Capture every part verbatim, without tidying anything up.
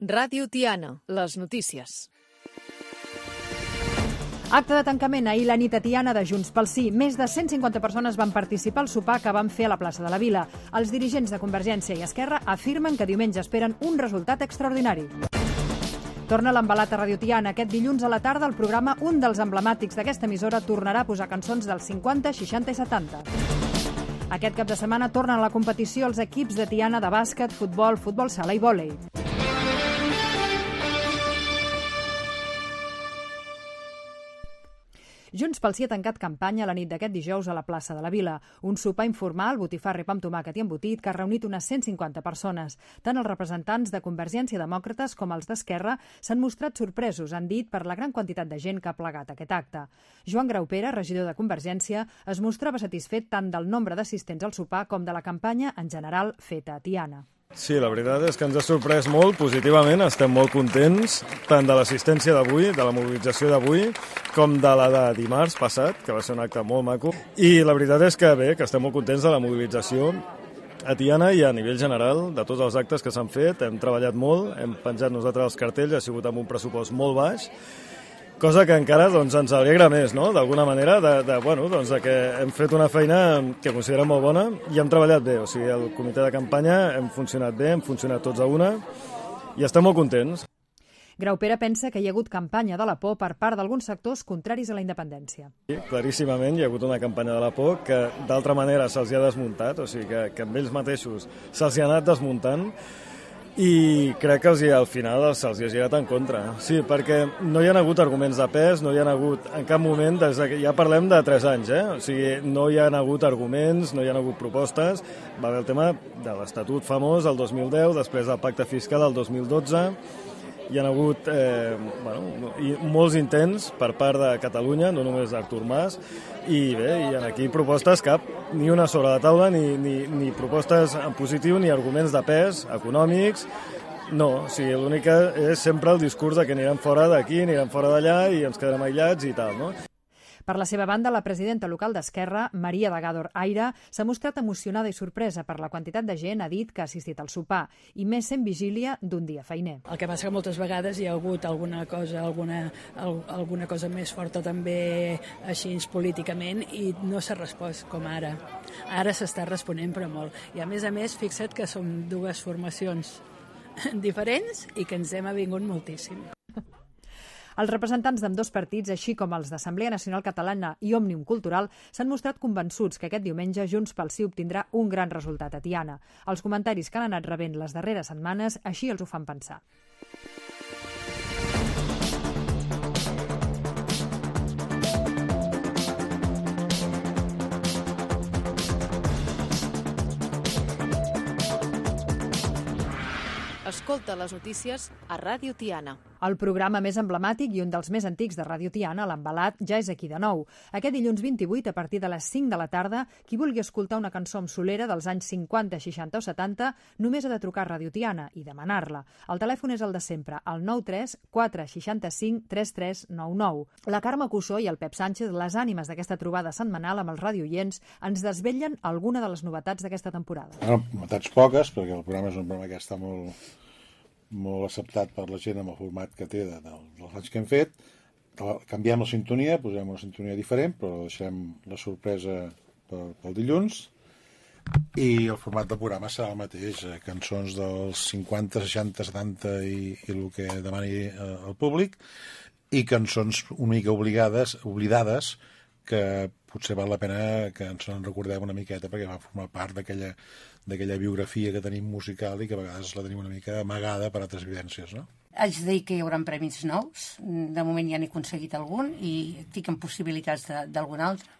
Ràdio Tiana, les notícies. Acte de tancament ahir la nit a Tiana de Junts pel Sí. Més de cent cinquanta persones van participar al sopar que van fer a la plaça de la Vila. Els dirigents de Convergència i Esquerra afirmen que diumenge esperen un resultat extraordinari. Torna l'embalat a Ràdio Tiana. Aquest dilluns a la tarda el programa, un dels emblemàtics d'aquesta emissora, tornarà a posar cançons dels cinquanta, seixanta i setanta. Aquest cap de setmana tornen a la competició els equips de Tiana de bàsquet, futbol, futbol sala i vòlei. Junts pel Sí ha tancat campanya la nit d'aquest dijous a la plaça de la Vila. Un sopar informal, botifarra i pa amb tomàquet i embotit, que ha reunit unes cent cinquanta persones. Tant els representants de Convergència Demòcrates com els d'Esquerra s'han mostrat sorpresos, han dit, per la gran quantitat de gent que ha plegat aquest acte. Joan Graupera, regidor de Convergència, es mostrava satisfet tant del nombre d'assistents al sopar com de la campanya en general feta a Tiana. Sí, la veritat és que ens ha sorprès molt positivament, estem molt contents, tant de l'assistència d'avui, de la mobilització d'avui, com de la de dimarts passat, que va ser un acte molt maco. I la veritat és que bé, que estem molt contents de la mobilització a Tiana i a nivell general, de tots els actes que s'han fet. Hem treballat molt, hem penjat nosaltres els cartells, ha sigut amb un pressupost molt baix, cosa que encara doncs, ens alegra més, no? D'alguna manera, de, de, bueno, doncs, de que hem fet una feina que considerem molt bona i hem treballat bé. O sigui, el comitè de campanya hem funcionat bé, hem funcionat tots a una i estem molt contents. Graupera pensa que hi ha hagut campanya de la por per part d'alguns sectors contraris a la independència. Sí, claríssimament hi ha hagut una campanya de la por que d'altra manera se'ls ha desmuntat, o sigui que, que amb ells mateixos se'ls ha anat desmuntant, i crec que els, al final se'ls ha girat en contra. Sí, perquè no hi ha hagut arguments de pes, no hi ha hagut en cap moment, des que ja parlem de tres anys, eh? O sigui, no hi ha hagut arguments, no hi ha hagut propostes. Va haver el tema de l'Estatut famós el dos mil deu, després del pacte fiscal el dos mil dotze, hi ha hagut eh, bueno, i molts intents per part de Catalunya, no només d'Artur Mas, i bé, hi ha aquí propostes cap, ni una sobre la taula, ni, ni, ni propostes en positiu, ni arguments de pes econòmics. No, o sigui, l'únic és sempre el discurs de que anirem fora d'aquí, anirem fora d'allà i ens quedarem aïllats i tal, no? Per la seva banda, la presidenta local d'Esquerra, Maria de Gàdor Aire, s'ha mostrat emocionada i sorpresa per la quantitat de gent, ha dit, que ha assistit al sopar, i més sent vigília d'un dia feiner. El que passa que moltes vegades hi ha hagut alguna cosa, alguna, alguna cosa més forta també així políticament i no s'ha respost com ara. Ara s'està responent però molt. I a més a més, fixa't que som dues formacions diferents i que ens hem avingut moltíssim. Els representants d'ambdós partits, així com els d'Assemblea Nacional Catalana i Òmnium Cultural, s'han mostrat convençuts que aquest diumenge Junts pel Sí obtindrà un gran resultat a Tiana. Els comentaris que han anat rebent les darreres setmanes així els ho fan pensar. Escolta les notícies a Ràdio Tiana. El programa més emblemàtic i un dels més antics de Ràdio Tiana, l'Embalat, ja és aquí de nou. Aquest dilluns vint-i-vuit, a partir de les cinc de la tarda, qui vulgui escoltar una cançó amb solera dels anys cinquanta, seixanta o setanta, només ha de trucar a Ràdio Tiana i demanar-la. El telèfon és el de sempre, el nou tres quatre seixanta-cinc trenta tres noranta nou. La Carme Cussó i el Pep Sánchez, les ànimes d'aquesta trobada setmanal amb els radioients, ens desvetllen alguna de les novetats d'aquesta temporada. Bueno, novetats poques, perquè el programa és un programa que està molt... molt acceptat per la gent amb el format que té de, de, dels anys que hem fet. Canviem la sintonia, posem una sintonia diferent, però deixem la sorpresa pel, pel dilluns. I el format del programa serà el mateix, eh, cançons dels cinquanta, seixanta, setanta i, i el que demani eh, el públic, i cançons una mica obligades, oblidades, que potser val la pena que ens en recordem una miqueta perquè va formar part d'aquella d'aquella biografia que tenim musical i que a vegades la tenim una mica amagada per altres vivències, no? Haig de dir que hi haurà premis nous. De moment ja n'he aconseguit algun i estic en possibilitats d'algun altre.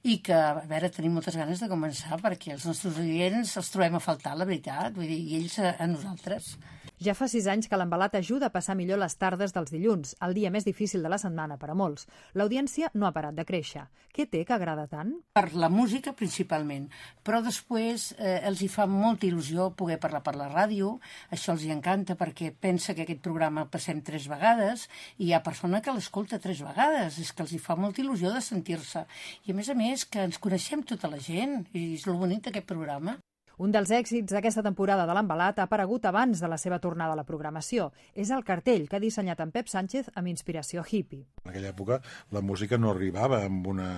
I que, a veure, tenim moltes ganes de començar perquè els nostres oients els trobem a faltar, la veritat, vull dir, i ells a, a nosaltres. Ja fa sis anys que l'Embalat ajuda a passar millor les tardes dels dilluns, el dia més difícil de la setmana per a molts. L'audiència no ha parat de créixer. Què té que agrada tant? Per la música, principalment, però després eh, els hi fa molta il·lusió poder parlar per la ràdio, això els hi encanta perquè pensa que aquest programa el passem tres vegades i hi ha persona que l'escolta tres vegades, és que els hi fa molta il·lusió de sentir-se. I a més a més que ens coneixem tota la gent, i és el bonic d'aquest programa. Un dels èxits d'aquesta temporada de l'Envelat ha aparegut abans de la seva tornada a la programació. És el cartell que ha dissenyat en Pep Sánchez amb inspiració hippie. En aquella època la música no arribava amb una,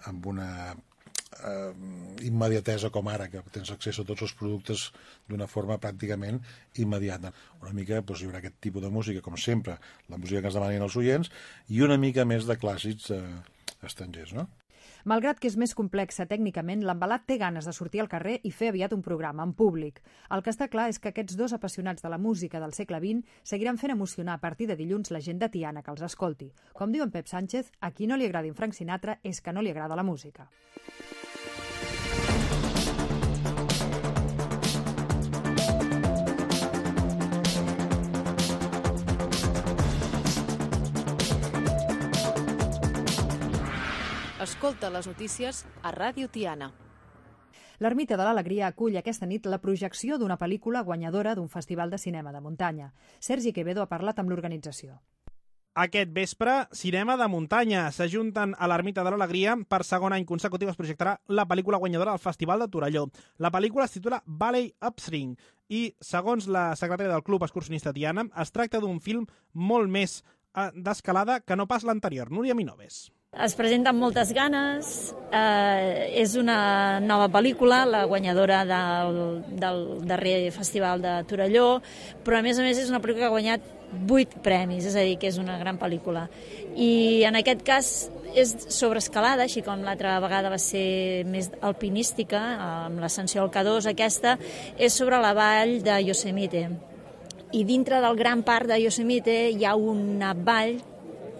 amb una eh, immediatesa com ara, que tens accés a tots els productes d'una forma pràcticament immediata. Una mica doncs, hi haurà aquest tipus de música, com sempre, la música que ens demanen els oients, i una mica més de clàssics eh, estrangers, no? Malgrat que és més complexa tècnicament, l'Envelat té ganes de sortir al carrer i fer aviat un programa en públic. El que està clar és que aquests dos apassionats de la música del segle vint seguiran fent emocionar a partir de dilluns la gent de Tiana que els escolti. Com diu en Pep Sánchez, a qui no li agradi en Frank Sinatra és que no li agrada la música. Escolta les notícies a Ràdio Tiana. L'Ermita de l'Alegria acull aquesta nit la projecció d'una pel·lícula guanyadora d'un festival de cinema de muntanya. Sergi Quevedo ha parlat amb l'organització. Aquest vespre, cinema de muntanya. S'ajunten a l'Ermita de l'Alegria. Per segon any consecutiu es projectarà la pel·lícula guanyadora del Festival de Torelló. La pel·lícula es titula Valley Upswing i, segons la secretària del Club Excursionista Tiana, es tracta d'un film molt més d'escalada que no pas l'anterior. Núria Minoves. Es presenta amb moltes ganes, eh, és una nova pel·lícula, la guanyadora del, del darrer festival de Torelló, però a més a més és una pel·lícula que ha guanyat vuit premis, és a dir, que és una gran pel·lícula. I en aquest cas és sobre escalada, així com l'altra vegada va ser més alpinística, amb l'ascensió al K dos, aquesta és sobre la vall de Yosemite. I dintre del gran parc de Yosemite hi ha una vall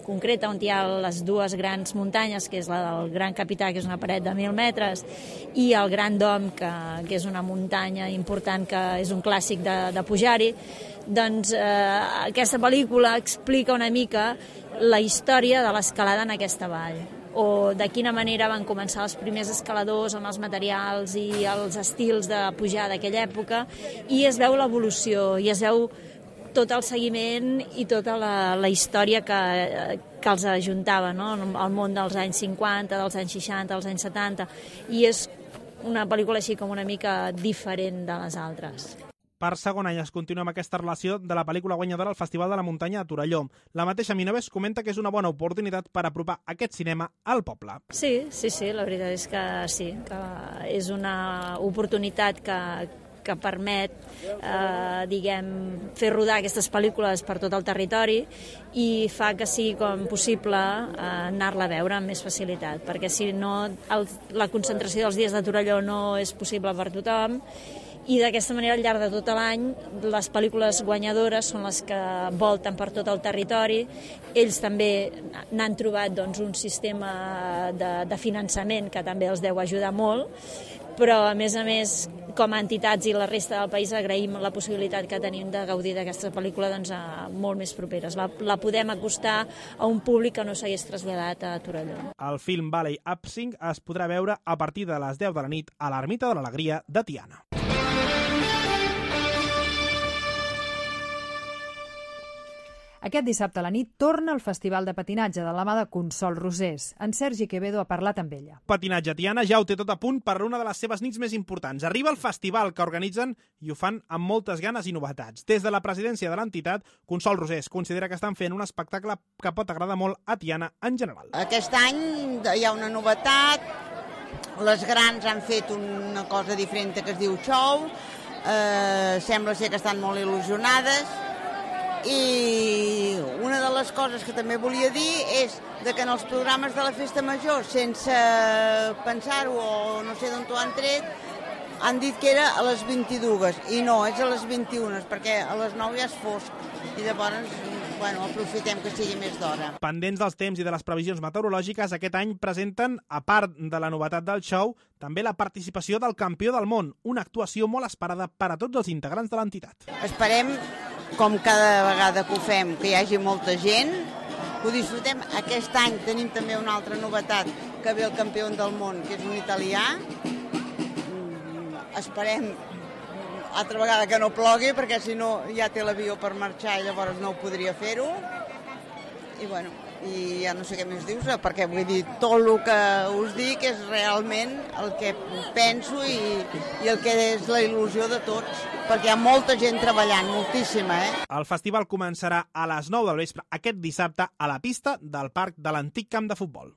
concreta on hi ha les dues grans muntanyes, que és la del Gran Capità, que és una paret de mil metres, i el Gran Dom, que, que és una muntanya important, que és un clàssic de, de pujar-hi. Doncs eh, aquesta pel·lícula explica una mica la història de l'escalada en aquesta vall, o de quina manera van començar els primers escaladors amb els materials i els estils de pujar d'aquella època, i es veu l'evolució, i es veu tot el seguiment i tota la, la història que, que els ajuntava, no? El món dels anys cinquanta, dels anys seixanta, dels anys setanta, i és una pel·lícula així com una mica diferent de les altres. Per segon any es continua amb aquesta relació de la pel·lícula guanyadora al Festival de la Muntanya a Torelló. La mateixa Minoves comenta que és una bona oportunitat per apropar aquest cinema al poble. Sí, sí, sí, la veritat és que sí, que és una oportunitat que, que permet eh, diguem, fer rodar aquestes pel·lícules per tot el territori i fa que sigui com possible eh, anar-la a veure amb més facilitat, perquè si no el, la concentració dels dies de Torelló no és possible per tothom, i d'aquesta manera al llarg de tot l'any les pel·lícules guanyadores són les que volten per tot el territori. Ells també n'han trobat doncs, un sistema de, de finançament que també els deu ajudar molt, però a més a més com a entitats i la resta del país agraïm la possibilitat que tenim de gaudir d'aquesta pel·lícula doncs, a molt més properes. La, la podem acostar a un públic que no s'hagués traslladat a Torelló. El film Valley Upswing es podrà veure a partir de les deu de la nit a l'Ermita de l'Alegria de Tiana. Aquest dissabte a la nit torna el Festival de Patinatge de la mà de Consol Rosés. En Sergi Quevedo ha parlat amb ella. Patinatge Tiana ja ho té tot a punt per una de les seves nits més importants. Arriba el festival que organitzen i ho fan amb moltes ganes i novetats. Des de la presidència de l'entitat, Consol Rosés considera que estan fent un espectacle que pot agradar molt a Tiana en general. Aquest any hi ha una novetat, les grans han fet una cosa diferent que es diu show, eh, sembla ser que estan molt il·lusionades, i una de les coses que també volia dir és de que en els programes de la Festa Major, sense pensar-ho o no sé d'on t'ho han tret, han dit que era a les vint-i-dues i no, és a les vint-i-una, perquè a les nou ja és fosc i llavors bueno, aprofitem que sigui més d'hora. Pendents dels temps i de les previsions meteorològiques, aquest any presenten, a part de la novetat del show, també la participació del campió del món, una actuació molt esperada per a tots els integrants de l'entitat. Esperem, com cada vegada que ho fem, que hi hagi molta gent, que ho disfrutem. Aquest any tenim també una altra novetat, que ve el campió del món, que és un italià. Esperem altra vegada que no plogui, perquè si no ja té l'avió per marxar i llavors no ho podria fer-ho. i bueno, i ja no sé què més dius, perquè vull dir, tot el que us dic és realment el que penso i, i el que és la il·lusió de tots, perquè hi ha molta gent treballant, moltíssima, eh? El festival començarà a les nou del vespre aquest dissabte a la pista del parc de l'antic camp de futbol.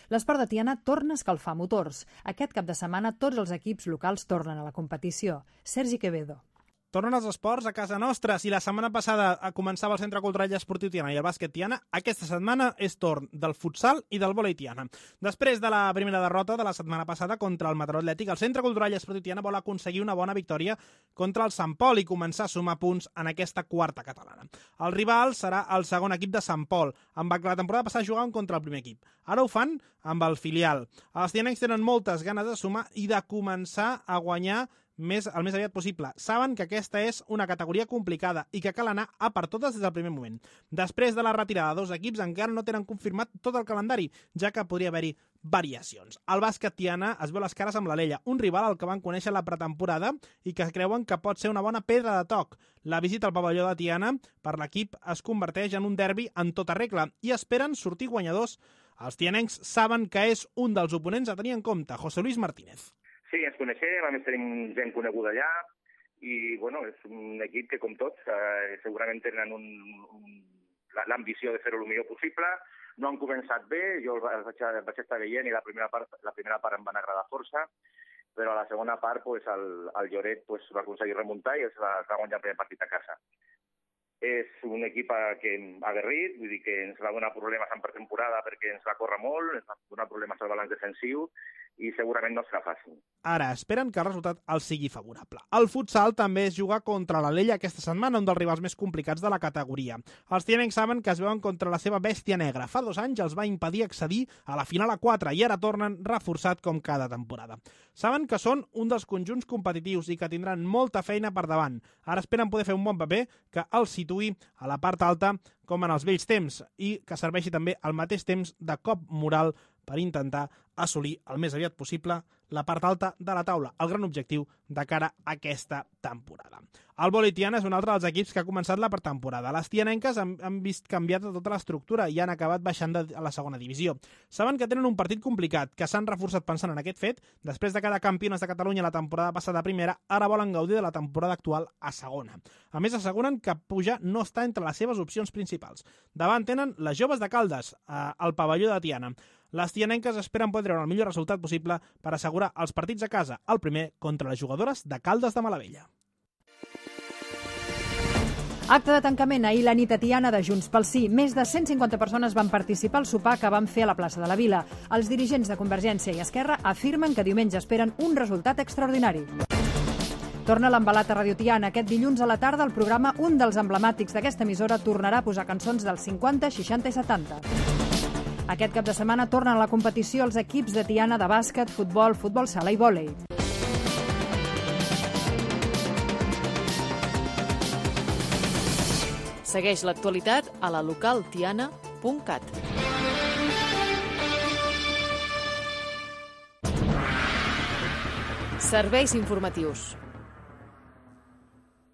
L'esport de Tiana torna a escalfar motors. Aquest cap de setmana tots els equips locals tornen a la competició. Sergi Quevedo. Tornen els esports a casa nostra. Si la setmana passada començava el Centre Cultural i Esportiu Tiana i el bàsquet Tiana, aquesta setmana és torn del futsal i del vòlei Tiana. Després de la primera derrota de la setmana passada contra el Mataró Atlètic, el Centre Cultural i Esportiu Tiana vol aconseguir una bona victòria contra el Sant Pol i començar a sumar punts en aquesta quarta catalana. El rival serà el segon equip de Sant Pol, amb la temporada passada jugaven contra el primer equip. Ara ho fan amb el filial. Els tianencs tenen moltes ganes de sumar i de començar a guanyar més, el més aviat possible. Saben que aquesta és una categoria complicada i que cal anar a per totes des del primer moment. Després de la retirada de dos equips encara no tenen confirmat tot el calendari, ja que podria haver-hi variacions. El bàsquet Tiana es veu les cares amb l'Alella, un rival al que van conèixer la pretemporada i que creuen que pot ser una bona pedra de toc. La visita al pavelló de Tiana per l'equip es converteix en un derbi en tota regla i esperen sortir guanyadors. Els tianencs saben que és un dels oponents a tenir en compte, José Luis Martínez. Sí, ens coneixem, a més tenim gent coneguda allà i bueno, és un equip que, com tots, eh, segurament tenen un, un, l'ambició de fer-ho el millor possible. No han començat bé, jo els vaig, vaig estar veient i la primera part, la primera part em van agradar força, però a la segona part pues, el, el Lloret pues, va aconseguir remuntar i es va, es va guanyar el primer partit a casa. És un equip que ha aguerrit, vull dir que ens va donar problemes en pretemporada perquè ens va córrer molt, ens va donar problemes al balanç defensiu i segurament no serà fàcil. Ara esperen que el resultat els sigui favorable. El futsal també és jugar contra l'Alella aquesta setmana, un dels rivals més complicats de la categoria. Els tianencs saben que es veuen contra la seva bèstia negra. Fa dos anys els va impedir accedir a la final a quatre i ara tornen reforçat com cada temporada. Saben que són un dels conjunts competitius i que tindran molta feina per davant. Ara esperen poder fer un bon paper que els situï a la part alta com en els vells temps i que serveixi també al mateix temps de cop moral per intentar assolir el més aviat possible la part alta de la taula, el gran objectiu de cara a aquesta temporada. El vòlei Tiana és un altre dels equips que ha començat la pretemporada. Les tianenques han, han vist canviat tota l'estructura i han acabat baixant de, a la segona divisió. Saben que tenen un partit complicat, que s'han reforçat pensant en aquest fet. Després de cada campionat de Catalunya la temporada passada a primera, ara volen gaudir de la temporada actual a segona. A més, asseguren que pujar no està entre les seves opcions principals. Davant tenen les joves de Caldes, eh, al pavelló de Tiana. Les tianenques esperen poder treure el millor resultat possible per assegurar els partits a casa, el primer contra les jugadores de Caldes de Malavella. Acte de tancament ahir la nit a Tiana de Junts pel Sí. Més de cent cinquanta persones van participar al sopar que van fer a la plaça de la Vila. Els dirigents de Convergència i Esquerra afirmen que diumenge esperen un resultat extraordinari. Torna l'embalat a Radio Tiana. Aquest dilluns a la tarda el programa, un dels emblemàtics d'aquesta emissora, tornarà a posar cançons dels cinquanta, seixanta i setanta. Aquest cap de setmana tornen a la competició els equips de Tiana de bàsquet, futbol, futbol sala i vòlei. Segueix l'actualitat a la local tiana punt cat. Serveis informatius.